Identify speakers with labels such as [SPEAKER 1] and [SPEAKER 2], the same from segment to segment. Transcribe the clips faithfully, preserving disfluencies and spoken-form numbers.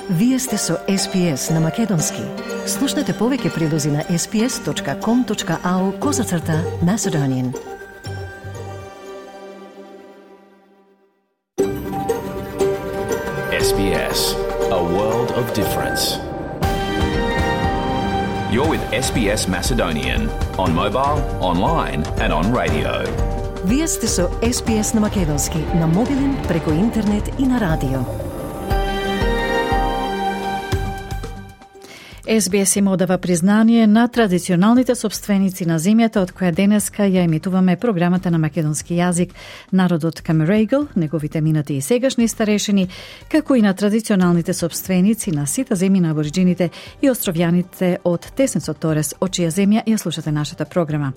[SPEAKER 1] Вие сте со Ес Би Ес на Македонски. Слушнете повеќе прилози на ес би ес точка ком точка ау козацрта Macedonian.
[SPEAKER 2] Ес Би Ес, a world of difference. You're with Ес Би Ес Macedonian on mobile, online and on radio.
[SPEAKER 1] Вие сте со Ес Би Ес на Македонски, на мобилен, преку интернет и на радио.
[SPEAKER 3] Ес Би Ес им одава признание на традиционалните собственици на земјата од која денеска ја емитуваме програмата на македонски јазик, народот Камерегл, неговите минати и сегашни старешини, како и на традиционалните собственици на сите земји на абориджините и островјаните од Тесенцот Торес, од чија земја ја слушате нашата програма.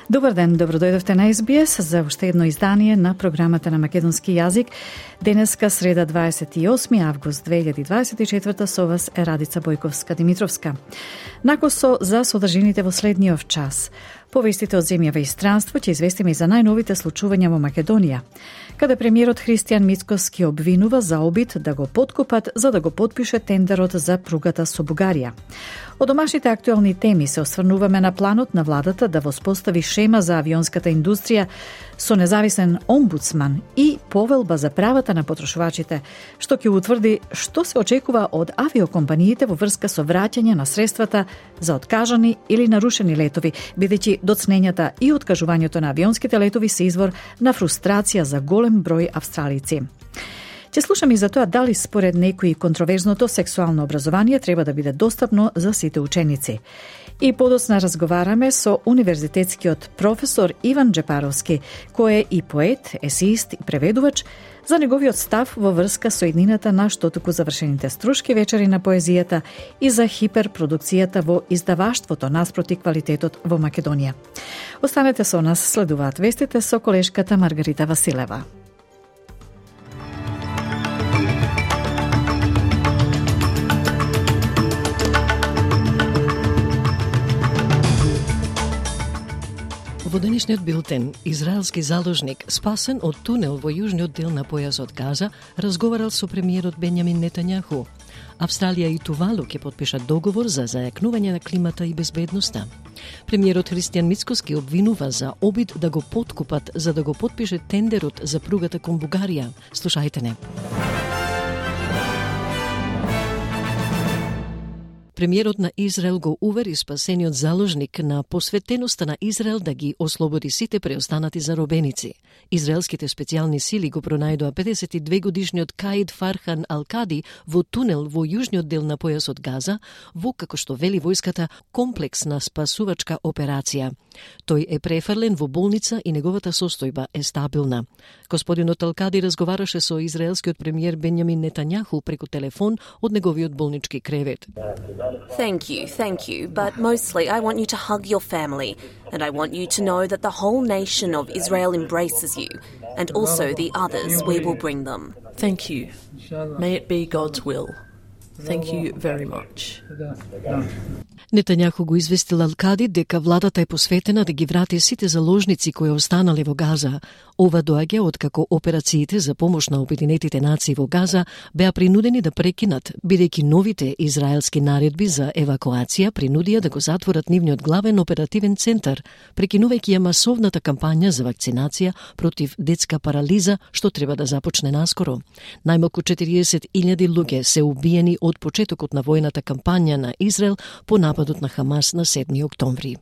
[SPEAKER 3] Добар ден, добродојдовте на Ес Би Ес за уште едно издание на програмата на македонски јазик. Денеска, среда дваесет и осми август две илјади дваесет и четврта, со вас е Радица Бојковска-Димитровска. Накосо за содржините во следниот час. Повестите од земја и странство ќе известиме и за најновите случувања во Македонија, каде премиерот Христијан Мицкоски обвинува за обид да го подкупат за да го потпише тендерот за пругата со Бугарија. Од домашните актуелни теми се осврнуваме на планот на владата да воспостави шема за авионската индустрија со независен омбудсман и повелба за правата на потрошувачите, што ќе утврди што се очекува од авиокомпаниите во врска со враќање на средствата за откажани или нарушени летови, бидејќи доцнењата и откажувањето на авионските летови се извор на фрустрација за голем број австралици. Ќе слушаме и за тоа дали според некои контроверзното сексуално образование треба да биде достапно за сите ученици. И подоцна разговараме со универзитетскиот професор Иван Джепаровски, кој е и поет, есеист и преведувач, за неговиот став во врска со иднината на штотуку завршените струшки вечери на поезијата и за хиперпродукцијата во издаваштвото наспроти квалитетот во Македонија. Останете со нас, следуваат вестите со колешката Маргарита Василева.
[SPEAKER 4] Во денешниот билтен, израелски заложник, спасен од тунел во јужниот дел на појасот Газа, разговарал со премиерот Бенјамин Нетањаху. Австралија и Тувалу ќе потпишат договор за зајакнување на климата и безбедноста. Премиерот Христијан Мицкоски обвинува за обид да го подкупат за да го потпише тендерот за пругата кон Бугарија. Слушајте не. Премиерот на Израел го увери спасениот заложник на посветеноста на Израел да ги ослободи сите преостанати заробеници. Израелските специјални сили го пронајдоа педесет и две годишниот Каид Фархан Алкади во тунел во јужниот дел на појасот Газа, во, како што вели војската, комплексна спасувачка операција. Тој е префрлен во болница и неговата состојба е стабилна. Господинот Алкади разговараше со израелскиот премиер Бенјамин Нетањаху преку телефон од неговиот болнички кревет.
[SPEAKER 5] Thank you, thank you, but mostly I want you to hug your family, and I want you to know that the whole nation of Israel embraces you, and also the others, we will bring them.
[SPEAKER 6] Thank you. May it be God's will. Thank you very much.
[SPEAKER 4] Нетањаху го известил Алкади дека владата е посветена да ги врати сите заложници кои останале во Газа. Ова доаѓа откако операциите за помош на Обединетите нации во Газа беа принудени да прекинат, бидејќи новите израелски наредби за евакуација принудија да го затворат нивниот главен оперативен центар, прекинувајќи ја масовната кампања за вакцинација против детска парализа, што треба да започне наскоро. Најмалку четириесет илјади луѓе се убиени од почетокот на војната кампања на Израел по нападот на Хамас на седми октомври.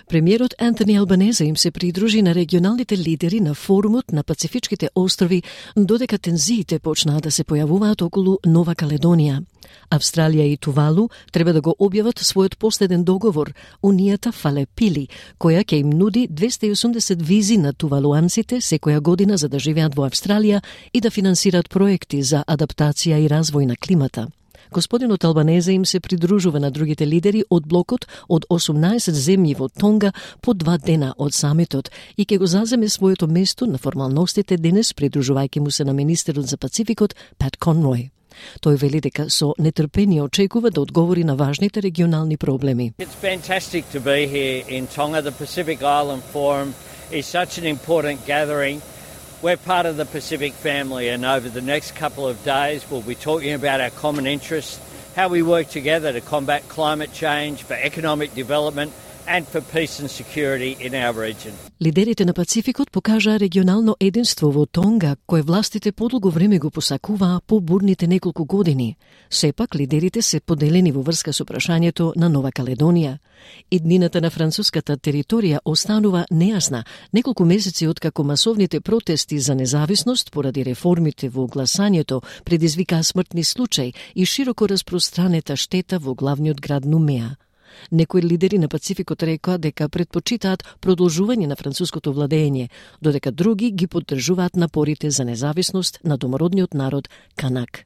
[SPEAKER 4] Премиерот Антони Албанезе им се придружи на регионалните лидери на форумот на Пацифичките острови, додека тензиите почнаа да се појавуваат околу Нова Каледонија. Австралија и Тувалу треба да го објават својот последен договор, унијата Фалепили, која ќе им нуди двесте и осумдесет визи на тувалуанците секоја година за да живеат во Австралија и да финансираат проекти за адаптација и развој на климата. Господинот Албанезе им се придружува на другите лидери од блокот од осумнаесет земји во Тонга по два дена од самитот и ќе го заземе своето место на формалностите денес, придружувајќи му се на министерот за Пацификот Пат Конрој. Тој вели дека со нетрпение очекува да одговори на важните регионални проблеми.
[SPEAKER 7] It's fantastic to be here in Tonga. The Pacific Island Forum is such an important gathering We're part of the Pacific family, and over the next couple of days we'll be talking about our common interests, how we work together to combat climate change, for economic development and for peace and security in our region.
[SPEAKER 4] Лидерите на Пацификот покажаа регионално единство во Тонга, кое властите подолго време го посакуваа по бурните неколку години. Сепак, лидерите се поделени во врска со прашањето на Нова Каледонија. Иднината на француската територија останува нејасна неколку месеци откако масовните протести за независност поради реформите во гласањето предизвикаа смртни случаи и широко распространета штета во главниот град Нумеа. Некои лидери на Пацификот рекоа дека предпочитаат продолжување на француското владење, додека други ги поддржуваат напорите за независност на домородниот народ Канак.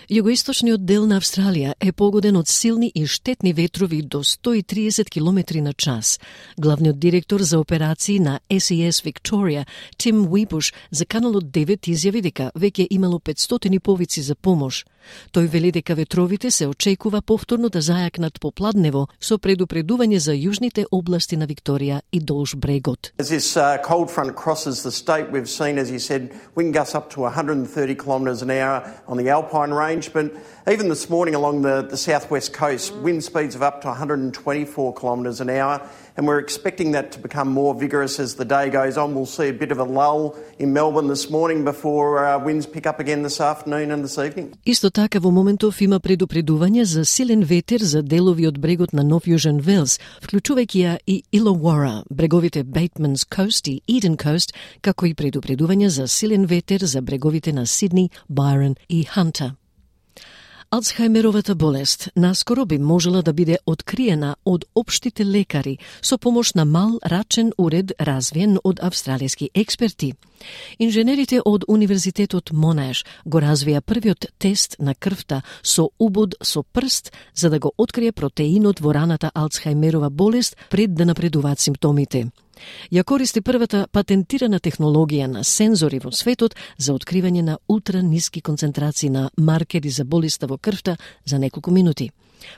[SPEAKER 4] Југоисточниот дел на Австралија е погоден од силни и штетни ветрови до сто и триесет километри на час. Главниот директор за операции на Ес И Ес Викторија, Тим Уипуш, за Каналот девет изјави дека веќе имало петстотини повици за помош. Тој вели дека ветровите се очекува повторно да зајакнат по Пладнево со предупредување за јужните области на Викторија и долж брегот.
[SPEAKER 8] As this uh, cold front crosses the state, we've seen, as you said, wind gusts up to one hundred thirty kilometres an hour on the Alpine range, but even this morning along the, the southwest coast, wind speeds of up to one hundred twenty-four kilometres an hour, and we're expecting that to become more vigorous as the day goes on. We'll see a bit of a lull in Melbourne this morning before uh, winds pick up again this afternoon and this evening.
[SPEAKER 4] Исто така во моментов има предупредување за силен ветер за делови од брегот на Нов Јужен Велс, вклучувајќи ја и Илауара, бреговите Бейтманс Кост и Иден Кост, како и предупредување за силен ветер за бреговите на Сидни, Байрон и Ханта. Алцхајмеровата болест наскоро би можела да биде откриена од општите лекари со помош на мал рачен уред развиен од австралијски експерти. Инженерите од Универзитетот Монаш го развија првиот тест на крвта со убод со прст за да го открие протеинот во раната Алцхајмерова болест пред да напредуваат симптомите. Ја користи првата патентирана технологија на сензори во светот за откривање на ултраниски концентрации на маркери за болеста во крвта за неколку минути.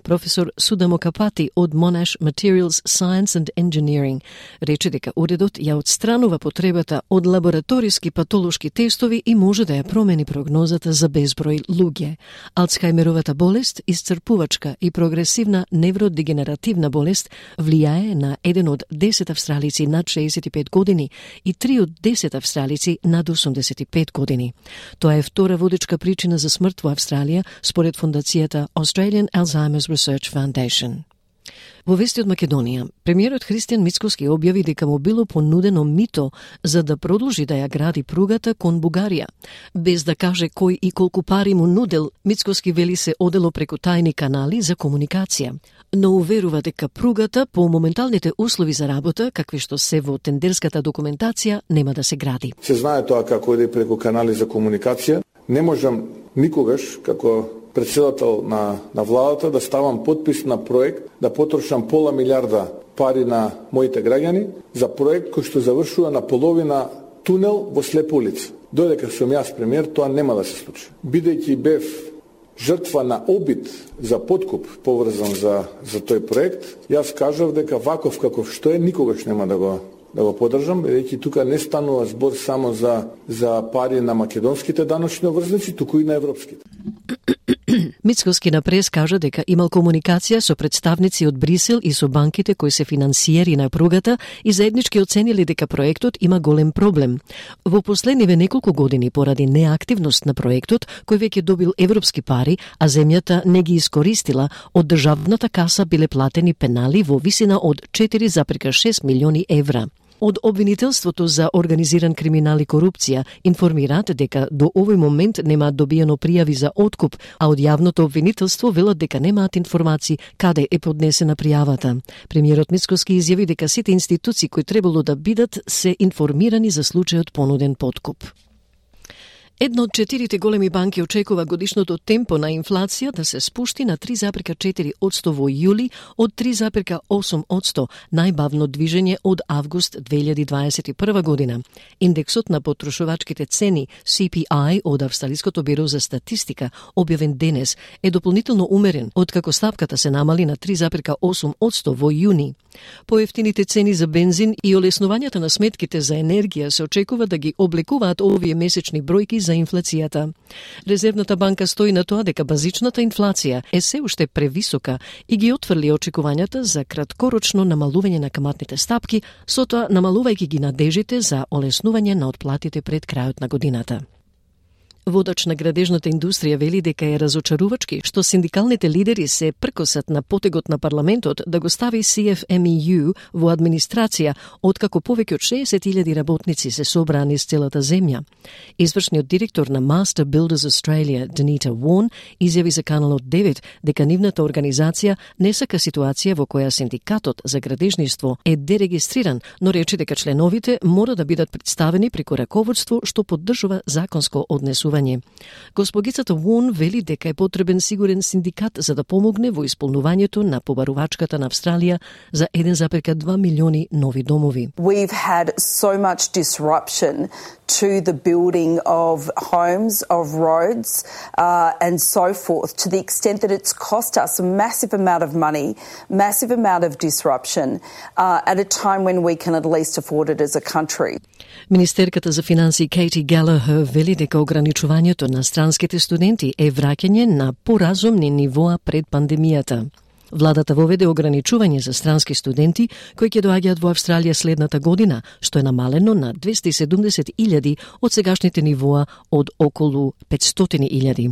[SPEAKER 4] Професор Судамо Капати од Monash Materials Science and Engineering рече дека уредот ја отстранува потребата од лабораториски патолошки тестови и може да ја промени прогнозата за безброј луѓе. Алцхајмеровата болест, исцрпувачка и прогресивна невродегенеративна болест, влијае на еден од десет австралици над шеесет и пет години и три од десет австралици над осумдесет и пет години. Тоа е втора водечка причина за смрт во Австралија според фондацијата Australian Alzheimer's Research Foundation. Во вести од Македонија, премиерот Христијан Мицкоски објави дека му било понудено мито за да продолжи да ја гради пругата кон Бугарија. Без да каже кој и колку пари му нудел, Мицкоски вели се одело преку тајни канали за комуникација. Но уверува дека пругата по моменталните услови за работа, какви што се во тендерската документација, нема да се гради.
[SPEAKER 9] Се знае тоа како иде преку канали за комуникација. Не можам никогаш, како председател на, на владата, да ставам подпис на проект, да потрошам пола милиарда пари на моите граѓани за проект кој што завршува на половина тунел во слепа улица. Додека сум јас премиер, тоа нема да се случи. Бидејќи бев жртва на обид за подкуп поврзан за, за тој проект, јас кажав дека ваков каков што е, никогаш нема да го да го поддржам, бидејќи тука не станува збор само за за пари на македонските даночни обврзници, туку и на европските.
[SPEAKER 4] Мицкоски на прес кажа дека имал комуникација со представници од Брисел и со банките кои се финансиери на пругата и заеднички оценили дека проектот има голем проблем. Во последниве неколку години поради неактивност на проектот, кој веќе добил европски пари, а земјата не ги искористила, од државната каса биле платени пенали во висина од четири зарез шест милиони евра. Од обвинителството за организиран криминал и корупција информираат дека до овој момент немаат добиено пријави за откуп, а од јавното обвинителство велат дека немаат информации каде е поднесена пријавата. Премиерот Мицкоски изјави дека сите институции кои требало да бидат се информирани за случајот понуден подкуп. Една од четирите големи банки очекува годишното темпо на инфлација да се спушти на три зарез четири одсто во јули од три зарез осум одсто, најбавно движење од август две илјади дваесет и прва година. Индексот на потрошувачките цени Си Пи Ај од Австралиското биро за статистика, објавен денес, е дополнително умерен, откако стапката се намали на три зарез осум одсто во јуни. Поевтините цени за бензин и олеснувањата на сметките за енергија се очекува да ги облекуваат овие месечни бројки за инфлацијата. Резервната банка стои на тоа дека базичната инфлација е се уште превисока и ги отфрли очекувањата за краткорочно намалување на каматните стапки, со тоа намалувајќи ги надежите за олеснување на отплатите пред крајот на годината. Водач на градежната индустрија вели дека е разочарувачки што синдикалните лидери се пркосат на потегот на парламентот да го стави Си Еф Ем И Ю во администрација, откако повеќе од шеесет илјади работници се собраа низ целата земја. Извршниот директор на Master Builders Australia, Denita Warren, изјави за Каналот девет дека нивната организација не сака ситуација во која синдикатот за градежништво е дерегистриран, но рече дека членовите мора да бидат представени преку раководство што поддржува законско однесување. Госпогицата Вон вели дека е потребен сигурен синдикат за да помогне во исполнувањето на побарувачката на Австралија за еден зарез два милиони нови домови.
[SPEAKER 10] We've had so much disruption to the building of homes, of roads, uh, and so forth, to the extent that it's cost us a massive amount of money, massive amount of disruption, uh, at a time when we can at least afford it as a country.
[SPEAKER 4] Министерката за финансии Кейти Галахер вели дека ограничувањето на странските студенти е враќање на поразумни нивоа пред пандемијата. Владата воведе ограничување за странски студенти кои ќе доаѓаат во Австралија следната година, што е намалено на двесте и седумдесет илјади од сегашните нивоа од околу петстотини илјади.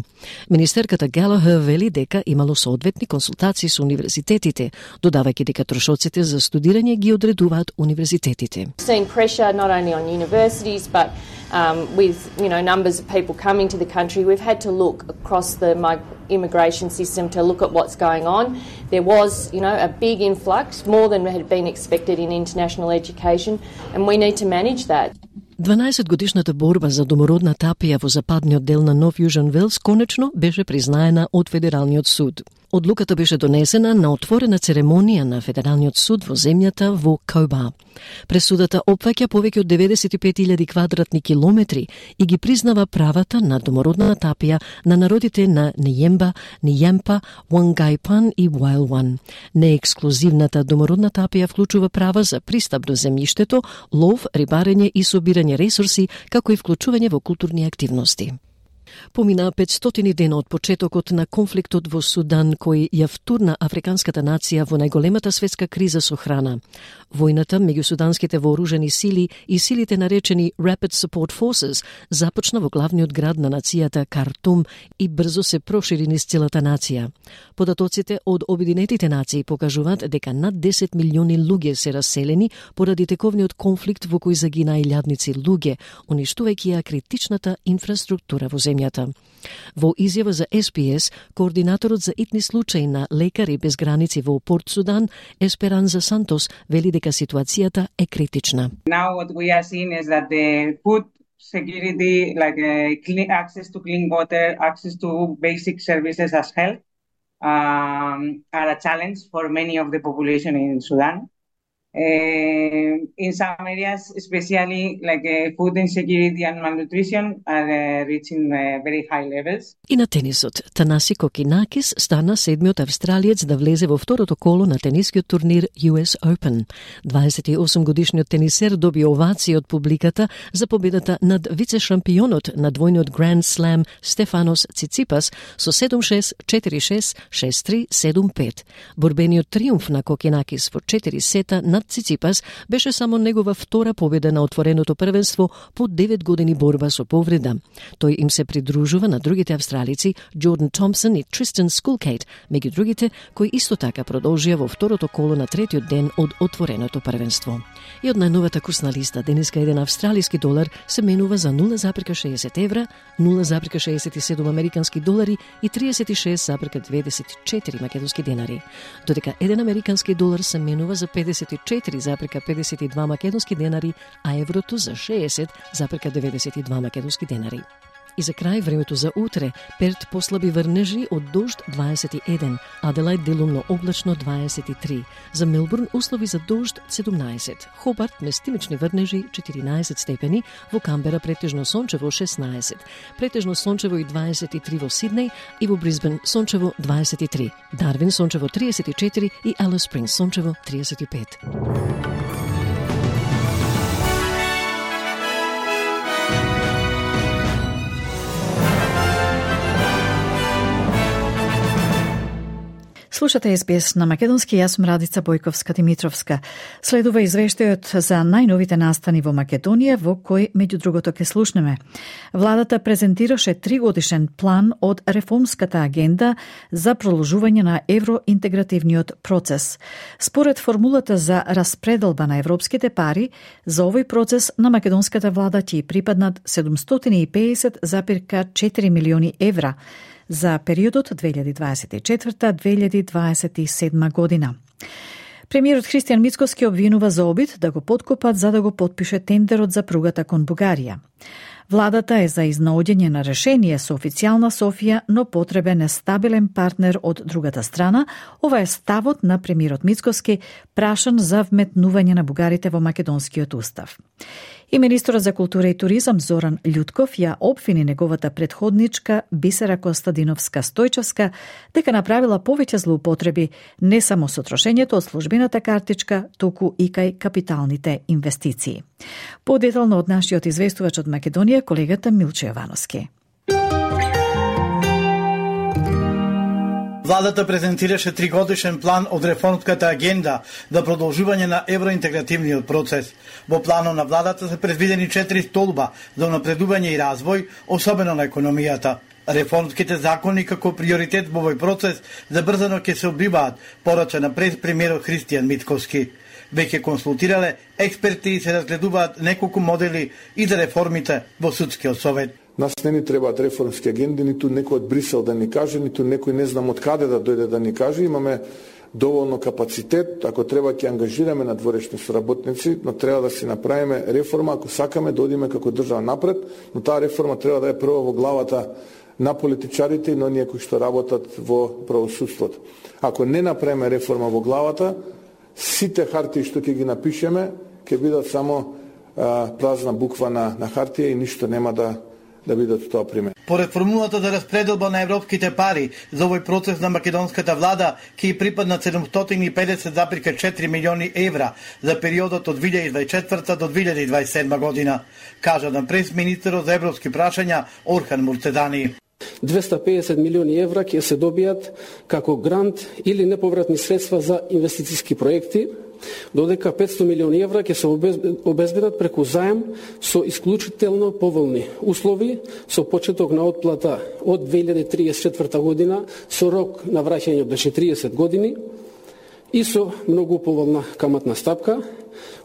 [SPEAKER 4] Министерката Галахер вели дека имало соодветни консултации со универзитетите, додавајќи дека трошоците за студирање ги одредуваат универзитетите.
[SPEAKER 11] Seeing pressure not only on universities but um, with you know numbers of people coming to the country, we've had to look across the immigration system to look at what's going on. There was, you know, a big influx, more than had been expected in international education, and we need to manage that.
[SPEAKER 4] дванаесетгодишната борба за домородна тапија во западниот дел на Нов Јужен Велс конечно беше признаена од Федералниот суд. Одлуката беше донесена на отворена церемонија на Федералниот суд во земјата во Коба. Пресудата опфаќа повеќе од деветдесет и пет илјади квадратни километри и ги признава правата на домородна тапија на народите на Ниемба, Ниемпа, Уангайпан и Уаилван. Неексклузивната домородна тапија вклучува права за пристап до земјиштето, лов, рибарење и собирање ресурси, како и вклучување во културни активности. Помина петстотини дена од почетокот на конфликтот во Судан кој ја втурна африканската нација во најголемата светска криза со храна. Војната меѓу суданските вооружени сили и силите наречени Rapid Support Forces започна во главниот град на нацијата Картум и брзо се прошири низ целата нација. Податоците од Обединетите нации покажуваат дека над десет милиони луѓе се раселени поради тековниот конфликт во кој загина илјадници луѓе, уништувајќи ја критичната инфраструктура во земјата. Во изјава за Ес Би Ес, координаторот за итни случаи на Лекари без граници во Порт Судан, Есперанза Сантос, вели дека ситуацијата е критична.
[SPEAKER 12] Now what we are seeing is that the food security, like uh, clean, access to clean water, access to basic services as health, um, are a challenge for many of the population in Sudan. Uh, in some areas, especially like uh, food insecurity and malnutrition, are uh, reaching uh, very high levels.
[SPEAKER 4] И на тенисот, Танаси Кокинакис стана седмиот австралиец да влезе во второто коло на тенискиот турнир Ю Ес Open. дваесет и осум годишниот тенисер доби овации од публиката за победата над вице-шампионот на двојниот Grand Slam Стефанос Циципас со седум шест, четири шест, шест три, седум пет. Борбениот триумф на Кокинакис во четири сета над Циципас беше само негова втора победа на отвореното првенство по девет години борба со повреда. Тој им се придружува на другите австралици Джордан Томпсон и Тристан Скулкейт, меѓу другите кои исто така продолжија во второто коло на третиот ден од отвореното првенство. И од најновата курсна листа, денеска еден австралиски долар се менува за нула зарез шеесет евра, нула зарез шеесет и седум американски долари и триесет и шест зарез дваесет и четири македонски денари, додека еден американски долар се менува за педесет и четири зарез педесет и два македонски денари, а еврото за шеесет зарез деветдесет и два македонски денари. И за крај времето за утре. Перт послаби врнежи од дожд дваесет и еден, Аделајд делумно облачно дваесет и три. За Мелбурн услови за дожд седумнаесет. Хобарт местимични врнежи четиринаесет степени, во Камбера претежно сончево шеснаесет. Претежно сончево и дваесет и три во Сиднеј и во Брисбен сончево дваесет и три. Дарвин сончево триесет и четири и Алис Спрингс сончево триесет и пет.
[SPEAKER 3] Слушате Ес Би Ес на македонски, јас сум Радица Бојковска-Димитровска. Следува извештајот за најновите настани во Македонија, во кој, меѓу другото, ке слушнеме. Владата презентираше тригодишен план од реформската агенда за продолжување на евроинтегративниот процес. Според формулата за распределба на европските пари, за овој процес на македонската влада ќе припаднат седумстотини и педесет запирка четири милиони евра за периодот две илјади дваесет и четврта до две илјади дваесет и седма година. Премиерот Христијан Мицкоски обвинува за обид да го поткопат за да го потпише тендерот за пругата кон Бугарија. Владата е за изнаоѓање на решение со официјална Софија, но потребен е стабилен партнер од другата страна. Ова е ставот на премиерот Мицкоски, прашан за вметнување на бугарите во македонскиот устав. И министерот за култура и туризам Зоран Љутков ја обвини неговата предходничка Бисера Костадиновска-Стојчевска дека направила повеќе злоупотреби не само со трошењето од службената картичка, туку и кај капиталните инвестиции. Подетално од нашиот известувач од Македонија, колегата Милче Јовановски.
[SPEAKER 13] Владата презентираше тригодишен план од реформската агенда за продолжување на евроинтегративниот процес. Во планот на владата се предвидени четири столба за напредување и развој, особено на економијата. Реформските закони како приоритет во овој процес забрзано ќе се одбиваат, порача на прес-премиерот Христијан Мицкоски. Веќе консултирале експерти и се разгледуваат неколку модели и за реформите во судскиот совет.
[SPEAKER 9] Нас не ни требаат реформски агенди, ниту некој од Брисел да ни каже, ниту некој не знам од каде да дојде да ни каже. Имаме доволно капацитет, ако треба ќе ангажираме надворешни соработници, но треба да си направиме реформа ако сакаме да одиме како држава напред, но таа реформа треба да е прво во главата на политичарите и на оние кои што работат во правосудството. Ако не направиме реформа во главата, сите хартии што ќе ги напишеме ќе бидат само а, празна буква на, на хартија и ништо нема да да бидат тоа пример.
[SPEAKER 13] Поред формулата за распределба на европските пари за овој процес на македонската влада ќе припаднат седумстотини и педесет запирка четири милиони евра за периодот од две илјади дваесет и четврта до две илјади дваесет и седма година, кажа на прес-министерот за европски прашања Орхан Муртедани.
[SPEAKER 14] двеста и педесет милиони евра ќе се добијат како грант или неповратни средства за инвестициски проекти, додека петсто милиони евра ќе се обезбедат преку заем со исклучително поволни услови, со почеток на отплата од две илјади триесет и четврта година, со рок на враќање до четириесет години и со многу поволна каматна стапка,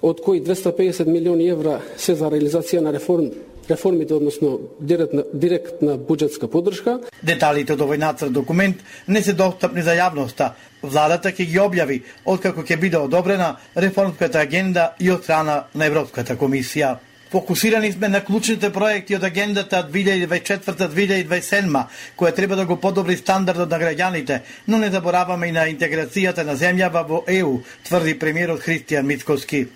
[SPEAKER 14] од кои двеста и педесет милиони евра се за реализација на реформ реформите, односно директна, директна буџетска поддршка.
[SPEAKER 13] Деталите од овој нацрт документ не се достапни за јавноста. Владата ќе ги објави откако ќе биде одобрена реформската агенда и од страна на Европската комисија. Фокусирани сме на клучните проекти од агендата две илјади дваесет и четврта до две илјади дваесет и седма, која треба да го подобри стандардот на граѓаните, но не забораваме и на интеграцијата на земјава во Е У, тврди премиерот Христијан Мицкоски.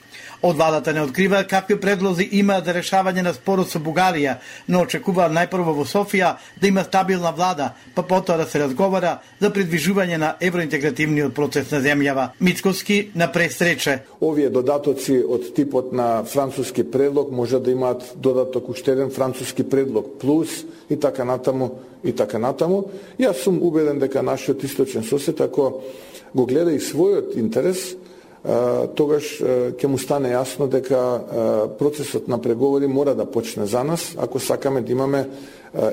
[SPEAKER 13] Од владата не открива какви предлози има за решавање на спорот со Бугарија, но очекува најпрво во Софија да има стабилна влада, па потоа да се разговара за придвижување на евроинтегративниот процес на земјава. Мицкоски на пресрече.
[SPEAKER 9] Овие додатоци од типот на француски предлог може да имаат додаток уште еден француски предлог плюс и така натаму и така натаму. Јас сум убеден дека нашиот источен сосед, ако го гледа и својот интерес, тогаш ќе му стане јасно дека процесот на преговори мора да почне за нас, ако сакаме да имаме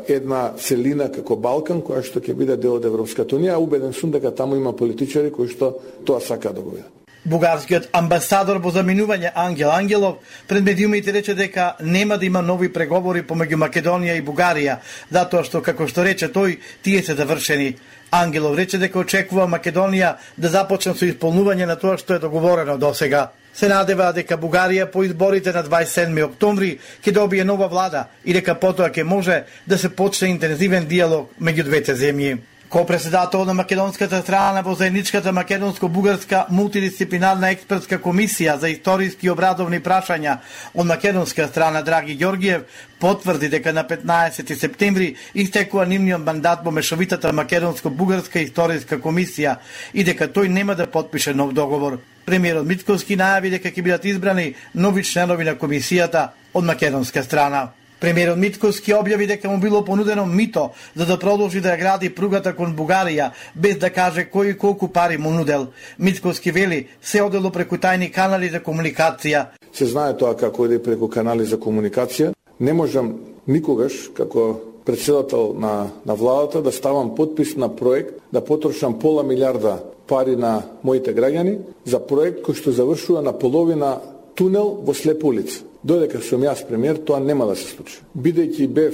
[SPEAKER 9] една целина како Балкан, која што ќе биде дел од Европската унија. Убеден сум дека таму има политичари кои што тоа сакаат да го видат.
[SPEAKER 13] Бугарскиот амбасадор во заминување Ангел Ангелов пред медиумите рече дека нема да има нови преговори помеѓу Македонија и Бугарија, затоа што, како што рече тој, тие се завршени. Ангелов рече дека очекува Македонија да започне со исполнување на тоа што е договорено досега. Се надева дека Бугарија по изборите на дваесет и седми октомври ќе добие нова влада и дека потоа ќе може да се почне интензивен диалог меѓу двете земји. Ко-председател на македонската страна во заедничката македонско-бугарска мултидисциплинарна експертска комисија за историски и обрадовни прашања од македонска страна Драги Ѓоргиев потврди дека на петнаесети септември истекува нивниот мандат во мешовитата македонско-бугарска историска комисија и дека тој нема да потпише нов договор. Премиерот Мицкоски најави дека ќе бидат избрани нови членови на комисијата од македонска страна. Премиерот Мицкоски објави дека му било понудено мито за да продолжи да ја гради пругата кон Бугарија, без да каже кој и колку пари му нудел. Мицкоски вели се одело преку тајни канали за комуникација.
[SPEAKER 9] Се знае тоа како иде преку канали за комуникација. Не можам никогаш како председател на, на владата да ставам подпис на проект, да потрошам пола милиарда пари на моите граѓани за проект кој што завршува на половина тунел во слепа улица. Додека сум јас премиер, тоа нема да се случи. Бидејќи бев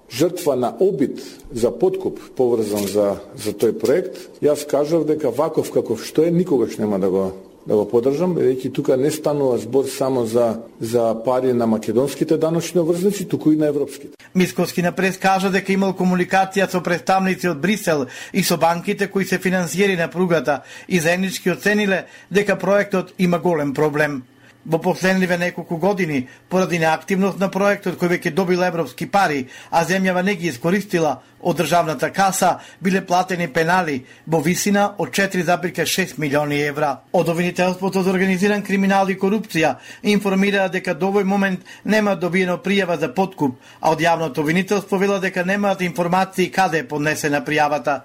[SPEAKER 9] жртва на обид за подкуп поврзан за, за тој проект, јас кажав дека ваков каков што е, никогаш нема да го да го поддржам, бидејќи тука не станува збор само за за пари на македонските даночни обврзници, туку и на европските.
[SPEAKER 13] Мицкоски на прес кажа дека имал комуникација со представници од Брисел и со банките кои се финансиери на пругата и заеднички оцениле дека проектот има голем проблем. Во последниве неколку години, поради неактивност на проектот кој веќе добил европски пари, а земјава не ги искористила од државната каса, биле платени пенали во висина од четири зарез и шест милиони евра. Од Обвинителството за организиран криминал и корупција информира дека до овој момент нема добиено пријава за подкуп, а од јавното обвинителство вела дека немаат информации каде е поднесена пријавата.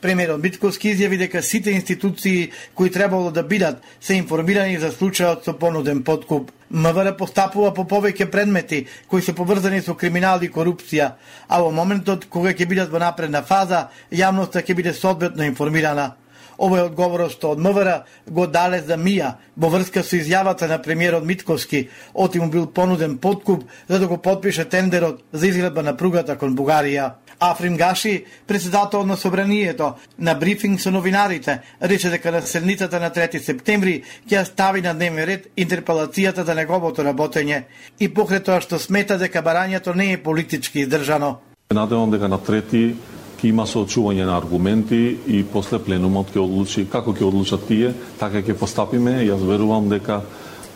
[SPEAKER 13] Премиерот Мицкоски изјави дека сите институции кои требало да бидат се информирани за случајот со понуден подкуп. МВР постапува по повеќе предмети кои се поврзани со криминал и корупција, а во моментот кога ќе бидат во напредна фаза, јавноста ќе биде соодветно информирана. Овој одговорот што од МВР го дале за Мија во врска со изјавата на премиерот Мицкоски, оти му бил понуден подкуп за да го потпише тендерот за изградба на пругата кон Бугарија. Африм Гаши, председател на Собранието, на брифинг со новинарите, рече дека на седницата на трети септември ќе ја стави на дневен ред интерпелацијата за неговото работење и покрај тоа што смета дека барањето не е политички издржано.
[SPEAKER 15] Надевам дека на трети ќе има соочување на аргументи и после пленумот ќе одлучи како ќе одлучат тие, така ќе постапиме. Јас верувам дека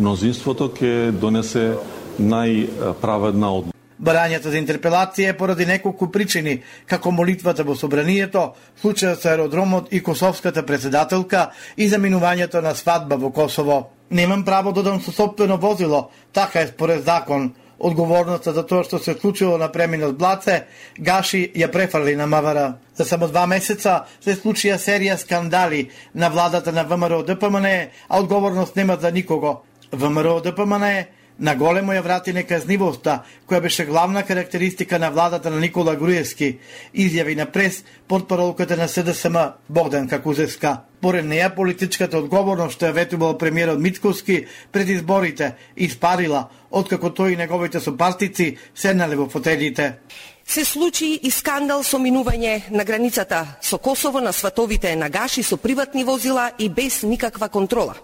[SPEAKER 15] мнозинството ќе донесе најправедна одлука.
[SPEAKER 13] Барањето за интерпелација е поради неколку причини, како молитвата во Собранието, случајот со аеродромот и косовската председателка и заминувањето на свадба во Косово. Немам право да дам со сопствено возило, така е според закон. Одговорноста за тоа што се случило на преминот Блаце, Гаши ја префрли на МВР. За само два месеца се случија серија скандали на владата на ВМРО Д П М Н, а одговорност нема за никого. ВМРО Д П М Н на големо ја врати неказнивоста, која беше главна карактеристика на владата на Никола Груевски, изјави на прес портпаролката на С Д С М Богданка Кузевска. Поред неја политичката одговорност што ја ветувал премиерот Мицкоски пред изборите испарила, откако тој и неговите сопартици седнале во фотелите.
[SPEAKER 16] Се случи и скандал со минување на границата со Косово на сватовите на Гаши со приватни возила и без никаква контрола.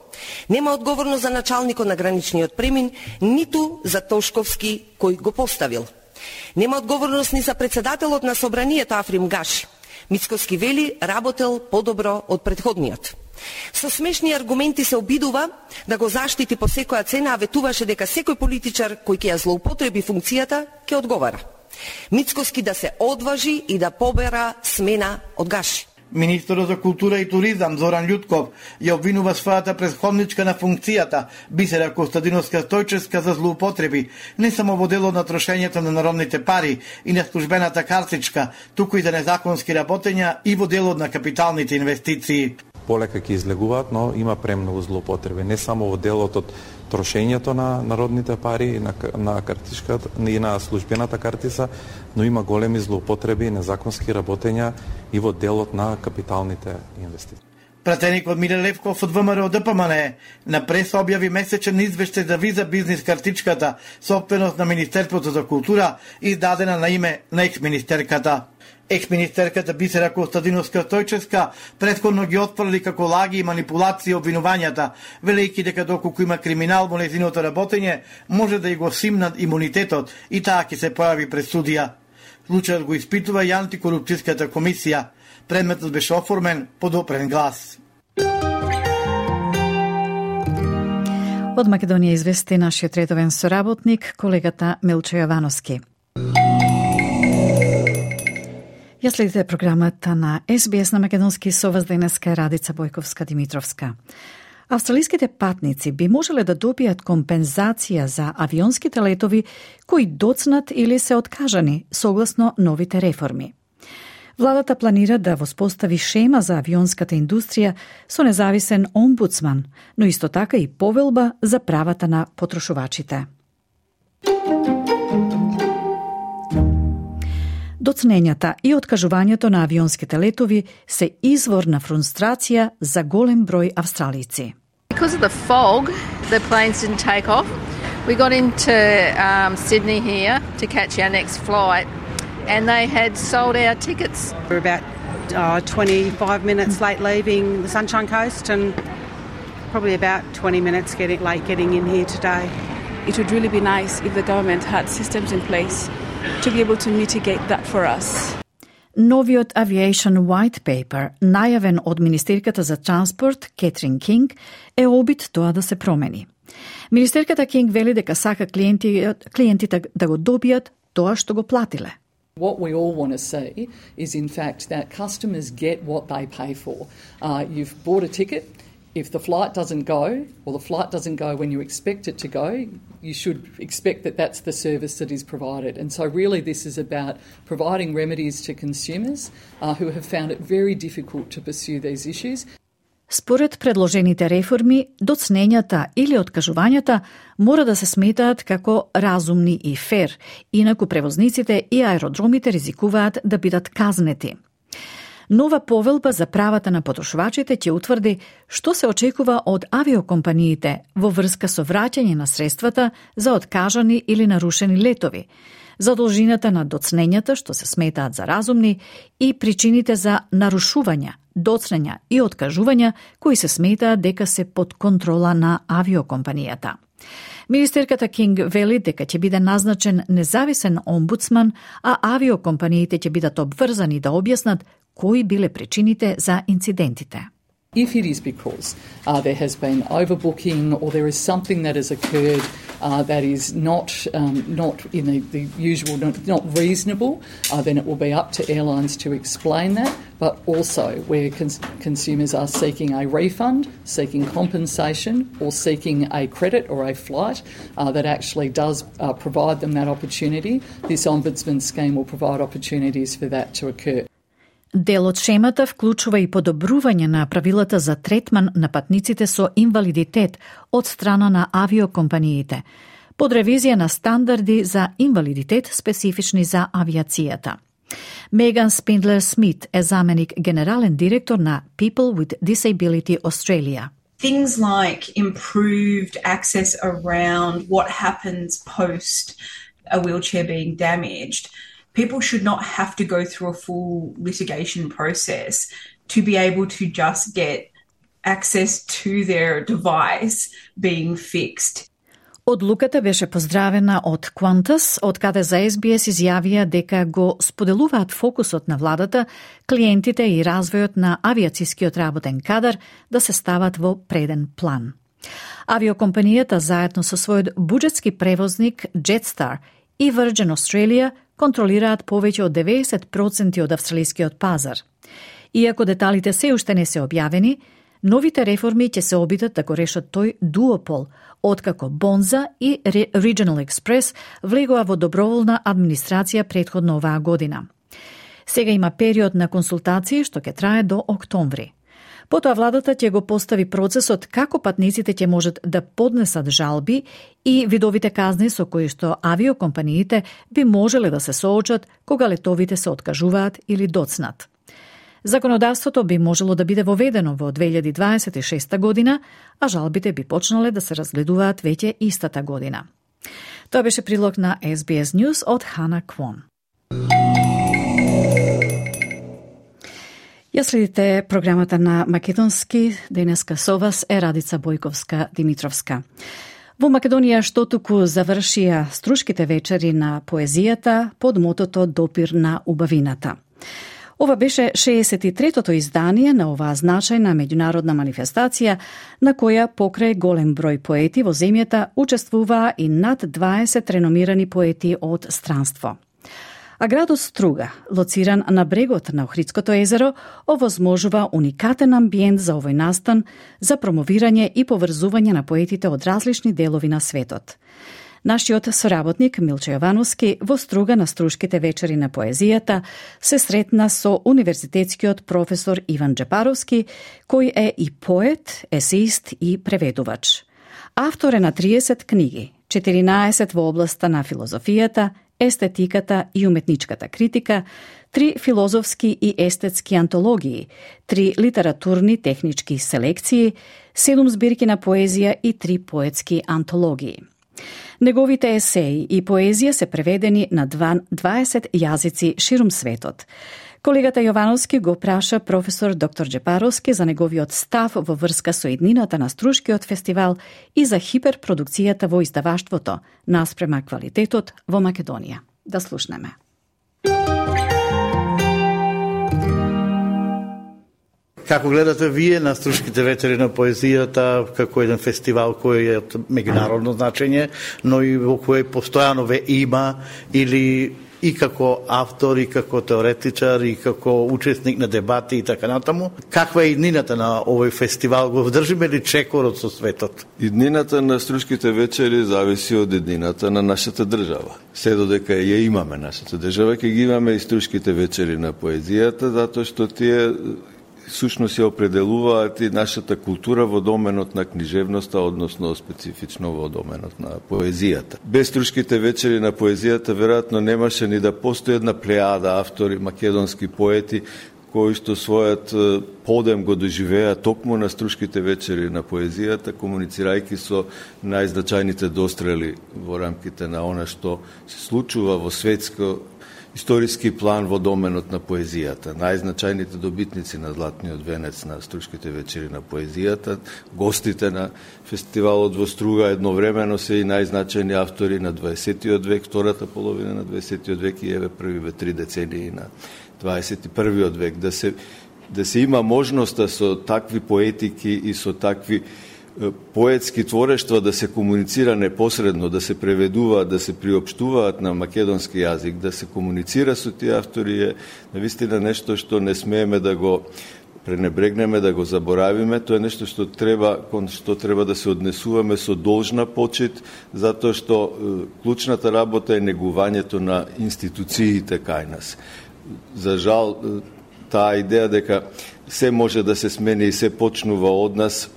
[SPEAKER 16] Нема одговорност за началникот на граничниот премин, ниту за Тошковски кој го поставил. Нема одговорност ни за председателот на Собранието Африм Гаши. Мицкоски вели работел подобро од претходниот. Со смешни аргументи се обидува да го заштити по секоја цена, а ветуваше дека секој политичар кој ќе ја злоупотреби функцијата ќе одговара. Мицкоски да се одважи и да побера смена од Гаши.
[SPEAKER 13] Министерот за култура и туризам Зоран Љутков ја обвинува својата претходничка на функцијата Бисера Костадиновска Стојчевска за злоупотреби, не само во делот на трошењето на народните пари и на службената картичка, туку и за незаконски работења и во делот на капиталните инвестиции.
[SPEAKER 17] Полека ќе излегуваат, но има премногу злоупотреби, не само во делот од трошењето на народните пари на, на картичката и на службената картица, но има големи злоупотреби и незаконски работења и во делот на капиталните инвестиции.
[SPEAKER 13] Пратеникот Миле Левков од ВМРО Д П М Н на прес објави месечен извештај за виза бизнис картичката, собственост на Министерството за култура, издадена на име на екс-министерката. Екс-министерката Бисера Костадиновска-Стојчевска претходно ги отфрли како лаги и манипулации обвинувањата, велејќи дека доколку има криминал во нејзиното работење, може да и го симнат имунитетот и таа ќе се појави пред судија. Случајот го испитува и антикорупцијската комисија. Предметот беше оформен под опрен глас.
[SPEAKER 3] Од Македонија извести нашиот редовен соработник, колегата Милчо Јовановски. Ја следите програмата на Ес Би Ес на македонски со вас денеска Радица Бојковска-Димитровска. Австралиските патници би можеле да добијат компензација за авионските летови кои доцнат или се откажани согласно новите реформи. Владата планира да воспостави шема за авионската индустрија со независен омбудсман, но исто така и повелба за правата на потрошувачите. Доцнењата и откажувањето на авионските летови се извор на фрустрација за голем број австралици.
[SPEAKER 18] Because of the fog, the planes didn't take off. We got into um, Sydney here to catch our next flight, and they had sold our tickets.
[SPEAKER 19] We're about uh, twenty-five minutes late leaving the Sunshine Coast, and probably about twenty minutes getting late getting in here today.
[SPEAKER 20] It would really be nice if the government had systems in place to be able to mitigate that for us.
[SPEAKER 3] Новиот Aviation White Paper, најавен од Министерката за транспорт Кетрин Кинг, е обид тоа да се промени. Министерката Кинг вели дека сака клиенти, клиентите да го добијат тоа што го платиле.
[SPEAKER 21] What we all want to see is, in fact, that customers get what they pay for. Uh, you've bought a ticket. If the flight doesn't go, or the flight doesn't go when you expect it to go, you should expect that that's the service that is provided. And so really this is about providing remedies to consumers uh, who have found it very difficult to pursue these issues.
[SPEAKER 3] Според предложените реформи, доцнењата или откажувањата мора да се сметаат како разумни и фер, инаку превозниците и аеродромите ризикуваат да бидат казнети. Нова повелба за правата на потрошувачите ќе утврди што се очекува од авиокомпаниите во врска со враќање на средствата за откажани или нарушени летови, за должината на доцнењата што се сметаат за разумни и причините за нарушувања, доцнења и откажувања кои се сметаат дека се под контрола на авиокомпанијата. Министерката Кинг вели дека ќе биде назначен независен омбудсман, а авиокомпаниите ќе бидат обврзани да објаснат кои биле причините за инцидентите.
[SPEAKER 21] If it is because uh, there has been overbooking or there is something that has occurred uh, that is not um, not in the, the usual, not, not reasonable, uh, then it will be up to airlines to explain that, but also where cons- consumers are seeking a refund, seeking compensation or seeking a credit or a flight uh, that actually does uh, provide them that opportunity, this Ombudsman scheme will provide opportunities for that to occur.
[SPEAKER 3] Дел од шемата вклучува и подобрување на правилата за третман на патниците со инвалидитет од страна на авиокомпаниите, под ревизија на стандарди за инвалидитет специфични за авиацијата. Меган Спиндлер Смит е заменик генерален директор на People with Disability Australia.
[SPEAKER 22] Things like improved access around what happens post a wheelchair being damaged. People should not have to go through a full litigation process to be able to just get access to their device being fixed.
[SPEAKER 3] Одлуката беше поздравена од Qantas, од каде за Ес Би Ес изјавија дека го споделуваат фокусот на владата, клиентите и развојот на авиацискиот работен кадар да се стават во преден план. Авиокомпанијата заедно со својот буџетски превозник Jetstar и Virgin Australia контролираат повеќе од деветдесет проценти од австралискиот пазар. Иако деталите се уште не се објавени, новите реформи ќе се обидат да го решат тој дуопол, откако Бонза и Regional Express влегоа во доброволна администрација претходно оваа година. Сега има период на консултации што ќе трае до октомври. Потоа владата ќе го постави процесот како патниците ќе можат да поднесат жалби и видовите казни со кои што авиокомпаниите би можеле да се соочат кога летовите се откажуваат или доцнат. Законодавството би можело да биде воведено во две илјади дваесет и шеста година, а жалбите би почнале да се разгледуваат веќе истата година. Тоа беше прилог на Ес Би Ес News од Хана Квон. Ја следите програмата на Македонски, денеска со вас е Радица Бојковска-Димитровска. Во Македонија што туку завршија струшките вечери на поезијата под мотото Допир на убавината. Ова беше шеесет и третото издание на оваа значајна меѓународна манифестација, на која покрај голем број поети во земјата учествуваа и над дваесет реномирани поети од странство. А градот Струга, лоциран на брегот на Охридското езеро, овозможува уникатен амбиент за овој настан за промовирање и поврзување на поетите од различни делови на светот. Нашиот соработник Милче Јовановски во Струга на струшките вечери на поезијата се сретна со универзитетскиот професор Иван Джепаровски, кој е и поет, есеист и преведувач. Автор е на триесет книги, четиринаесет во областа на филозофијата, естетиката и уметничката критика, три филозофски и естетски антологии, три литературни технички селекции, седум збирки на поезија и три поетски антологии. Неговите есеи и поезија се преведени на дваесет јазици ширум светот. Колегата Јовановски го праша професор доктор Джепаровски за неговиот став во врска со иднината на Струшкиот фестивал и за хиперпродукцијата во издаваштвото наспрема квалитетот во Македонија. Да слушнеме.
[SPEAKER 13] Како гледате вие на Струшките вечери на поезијата како еден фестивал кој е од меѓународно значење, но и во кој постојано ве има или и како автор, и како теоретичар, и како учесник на дебати и така натаму. Каква е иднината на овој фестивал? Го вдржиме ли чекорот со светот?
[SPEAKER 1] Иднината на Струшките вечери зависи од иднината на нашата држава. Се додека ја имаме нашата држава, ќе ги имаме и Струшките вечери на поезијата, затоа што тие сушност се определуваат и нашата култура во доменот на книжевноста, односно специфично во доменот на поезијата. Без Струшките вечери на поезијата веројатно немаше ни да постои една плејада автори, македонски поети, кои што својот подем го доживеа токму на Струшките вечери на поезијата, комуницирајќи со најзначајните дострели во рамките на она што се случува во светско историски план во доменот на поезијата. Најзначајните добитници на Златниот венец на Струшките вечери на поезијата, гостите на фестивалот во Струга едновремено се и најзначајни автори на дваесеттиот век, втората половина на дваесеттиот век и еве првиве три децении на дваесет и првиот век. Да се, да се има можноста со такви поетики и со такви поетски творештва да се комуницира непосредно, да се преведуваат, да се приопштуваат на македонски јазик, да се комуницира со тие автори е навистина нешто што не смееме да го пренебрегнеме, да го заборавиме. Тоа е нешто што треба, кон што треба да се однесуваме со должна почит, затоа што клучната работа е негувањето на институциите кај нас. За жал, таа идеја дека се може да се смени и се почнува од нас,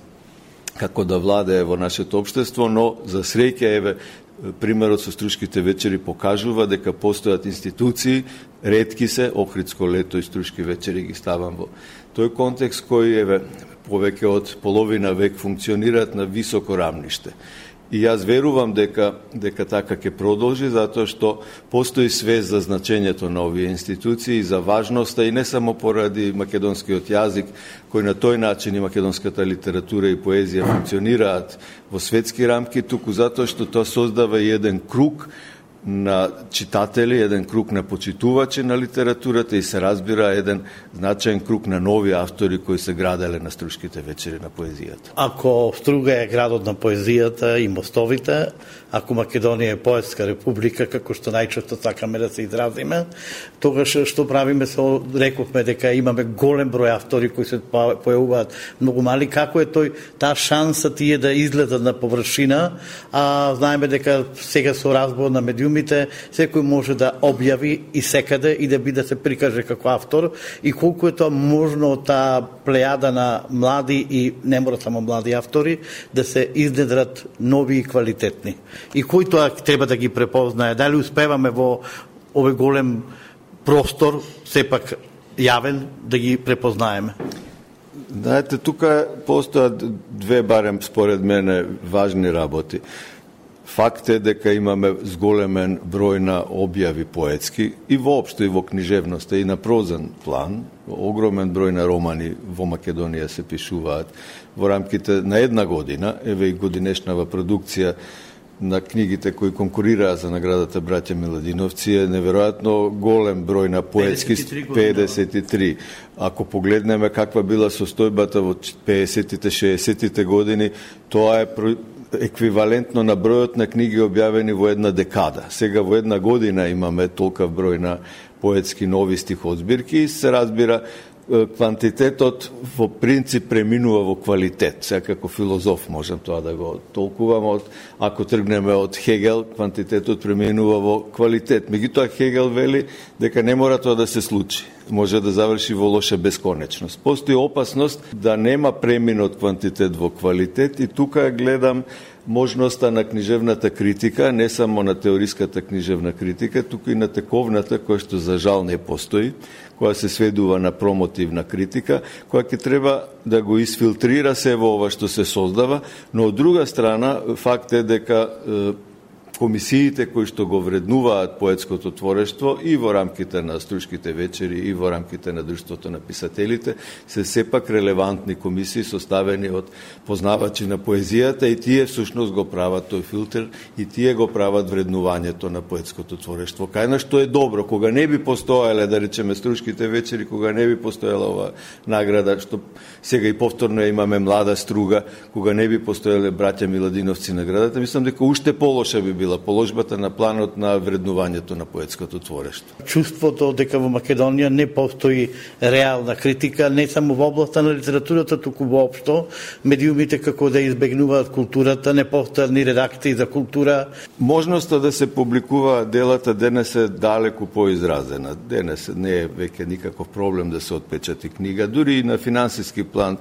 [SPEAKER 1] како да владее во нашето општество, но за среќа еве примерот со Струшките вечери покажува дека постојат институции, ретки се, Охридско лето и Струшки вечери ги ставам во тој контекст кој еве повеќе од половина век функционираат на високо рамниште. И јас верувам дека дека така ќе продолжи, затоа што постои свест за значењето на овие институции, за важноста и не само поради македонскиот јазик, кој на тој начин и македонската литература и поезија функционираат во светски рамки, туку затоа што тоа создава и еден круг на читатели, еден круг на почитувачи на литературата и се разбира еден значаен круг на нови автори кои се граделе на Струшките вечери на поезијата.
[SPEAKER 13] Ако Струга е градот на поезијата и мостовите, ако Македонија е поетска република, како што најчесто сакаме да се изразиме, тогаш што правиме со, рековме дека имаме голем број автори кои се појавуваат многу мали, како е тој таа шанса тие да излезат на површина, а знаеме дека сега со разбор на медиумите секој може да објави и секаде и да биде се прикаже како автор и колку е тоа можно од таа плејада на млади и не мора само млади автори да се изнедрат нови и квалитетни. И кој тоа треба да ги препознае? Дали успеваме во овој голем простор, сепак јавен, да ги препознаеме?
[SPEAKER 1] Знаете, тука постојат две, барем според мене, важни работи. Факт е дека имаме зголемен број на објави поетски и воопшто и во книжевноста и на прозен план. Огромен број на романи во Македонија се пишуваат во рамките на една година. Еве и годинешнава продукција на книгите кои конкурираа за наградата Браќа Миладиновци е неверојатно голем број на поетски педесет и три. Ако погледнеме каква била состојбата во педесетите, шеесетите години, тоа е еквивалентно на бројот на книги објавени во една декада. Сега во една година имаме толков број на поетски нови стихозбирки и се разбира квантитетот во принцип преминува во квалитет. Сега како филозоф можам тоа да го толкувам. Ако тргнеме од Хегел, квантитетот преминува во квалитет. Меѓутоа Хегел вели дека не мора тоа да се случи. Може да заврши во лоша бесконечност. Постои опасност да нема премин од квантитет во квалитет и тука гледам можноста на книжевната критика, не само на теориската книжевна критика, туку и на тековната, која што за жал не постои, која се сведува на промотивна критика, која ќе треба да го изфилтрира се во ова што се создава, но од друга страна факт е дека комисиите кои што го вреднуваат поетското творештво и во рамките на Струшките вечери и во рамките на Друштвото на писателите се сепак релевантни комисии составени од познавачи на поезијата и тие всушност го прават тој филтер и тие го прават вреднувањето на поетското творештво. Кај што е добро, кога не би постоеле, да речеме, Струшките вечери, кога не би постоела ова награда, што сега и повторно имаме Млада Струга, кога не би постоеле Браќа Миладиновци наградата, мислам дека уште полоша би била положбата на планот на вреднувањето на поетското творештво.
[SPEAKER 13] Чувството дека во Македонија не постои реална критика, не само во областа на литературата, туку воопшто, медиумите како да избегнуваат културата, не постојат ни редакции за култура.
[SPEAKER 1] Можноста да се публикуваат делата денес е далеку поизразена. Денес не е веќе никаков проблем да се отпечати книга, дури и на финансиски план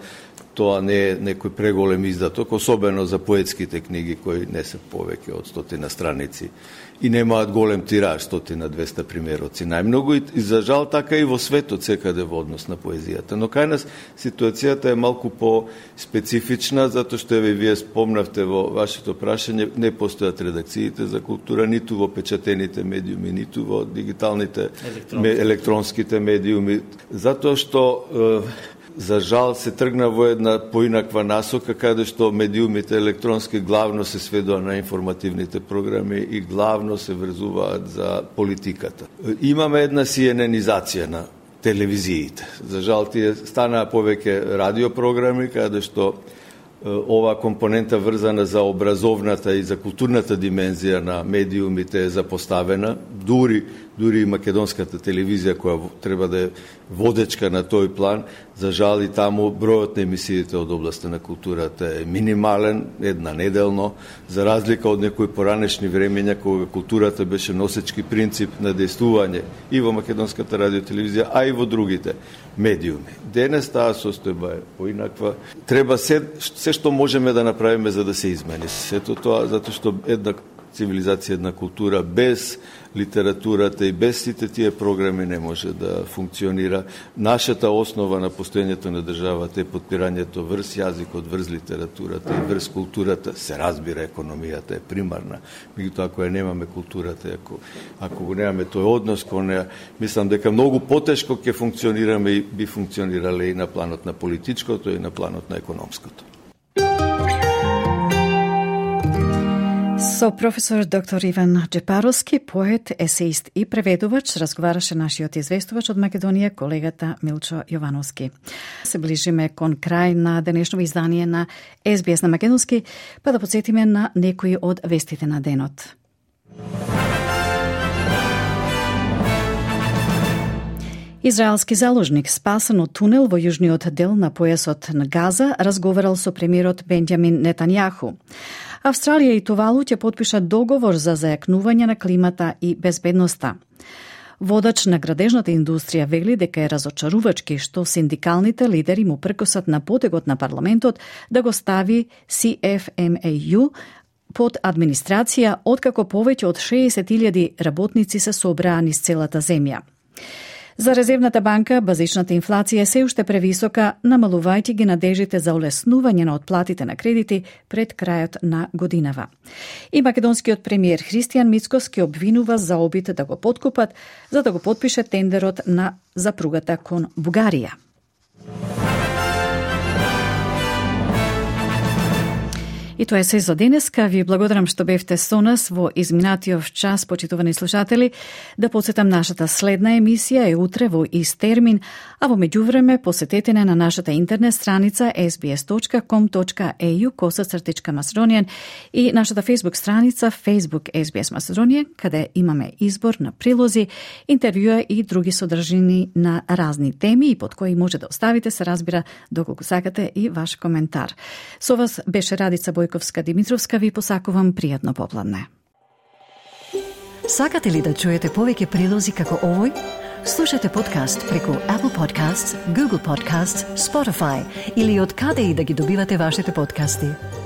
[SPEAKER 1] тоа не е некој преголем издаток, особено за поетските книги кои не се повеќе од стотина страници и немаат голем тираж, стотина двеста примероци најмногу, и за жал така и во светот секаде во однос на поезијата. Но кај нас ситуацијата е малку по-специфична, затоа што еве вие спомнавте во вашето прашање, не постојат редакциите за култура ниту во печатените медиуми, ниту во дигиталните електронски. електронските медиуми, затоа што е, за жал се тргна во една поинаква насока, каде што медиумите електронски главно се сведува на информативните програми и главно се врзуваат за политиката. Имаме една сиененизација на телевизиите. За жал тие станаа повеќе радиопрограми, каде што ова компонента врзана за образовната и за културната димензија на медиумите е запоставена. Дури, дури и македонската телевизија, која треба да е водечка на тој план, за жал и таму бројот на емисиите од областта на културата е минимален, една неделно, за разлика од некои поранешни времења, кога културата беше носечки принцип на действување и во македонската радиотелевизија, а и во другите медиуми. Денес таа состојба е поинаква. Треба се, се што можеме да направиме за да се измени. Сето тоа, затоа што една цивилизација, една култура без литературата и без сите тие програми не може да функционира. Нашата основа на постоењето на државата е подпирањето врз јазикот, врз литературата и врз културата. Се разбира, економијата е примарна. Меѓутоа, ако ја немаме културата, ако, ако го немаме тој однос кон неа, мислам дека многу потешко ќе функционираме и би функционирале и на планот на политичкото и на планот на економското.
[SPEAKER 3] Со професор доктор Иван Джепаровски, поет, есеист и преведувач, разговараше нашиот известувач од Македонија, колегата Милчо Јовановски. Се ближиме кон крај на денешно издание на Ес Би Ес на Македонски, па да подсетиме на некои од вестите на денот. Израелски заложник спасен од тунел во јужниот дел на појасот на Газа разговарал со премиерот Бенџамин Нетањаху. Австралија и Тувалу ќе подпишат договор за зајакнување на климата и безбедноста. Водач на градежната индустрија вели дека е разочарувачки што синдикалните лидери му пркосат на потегот на парламентот да го стави Си Еф Ем Еј Ју под администрација, откако повеќе од шеесет илјади работници се собраа низ целата земја. За Резервната банка, базичната инфлација е се уште превисока, намалувајќи ги надежите за олеснување на отплатите на кредити пред крајот на годинава. И македонскиот премиер Христијан Мицкос ке обвинува за обид да го подкупат за да го потпише тендерот на за пругата кон Бугарија. И тоа е се за денеска. Ви благодарам што бевте со нас во изминатиот час, почитувани слушатели. Да подсетам, нашата следна емисија е утре во ист термин, а во меѓувреме посетете не на нашата интернет страница ес би ес точка ком точка е ю косацртичка Macedonian и нашата Facebook страница Facebook ес би ес Macedonian, каде имаме избор на прилози, интервјуа и други содржини на разни теми и под кои може да оставите, се разбира, доколку сакате, и ваш коментар. Со вас беше Радица Бојковска-Димитровска, ви посакувам пријатно попладне.
[SPEAKER 4] Сакате ли да чуете повеќе прилози како овој? Слушате подкаст преку Apple Podcasts, Google Podcasts, Spotify или од каде и да ги добивате вашите подкасти.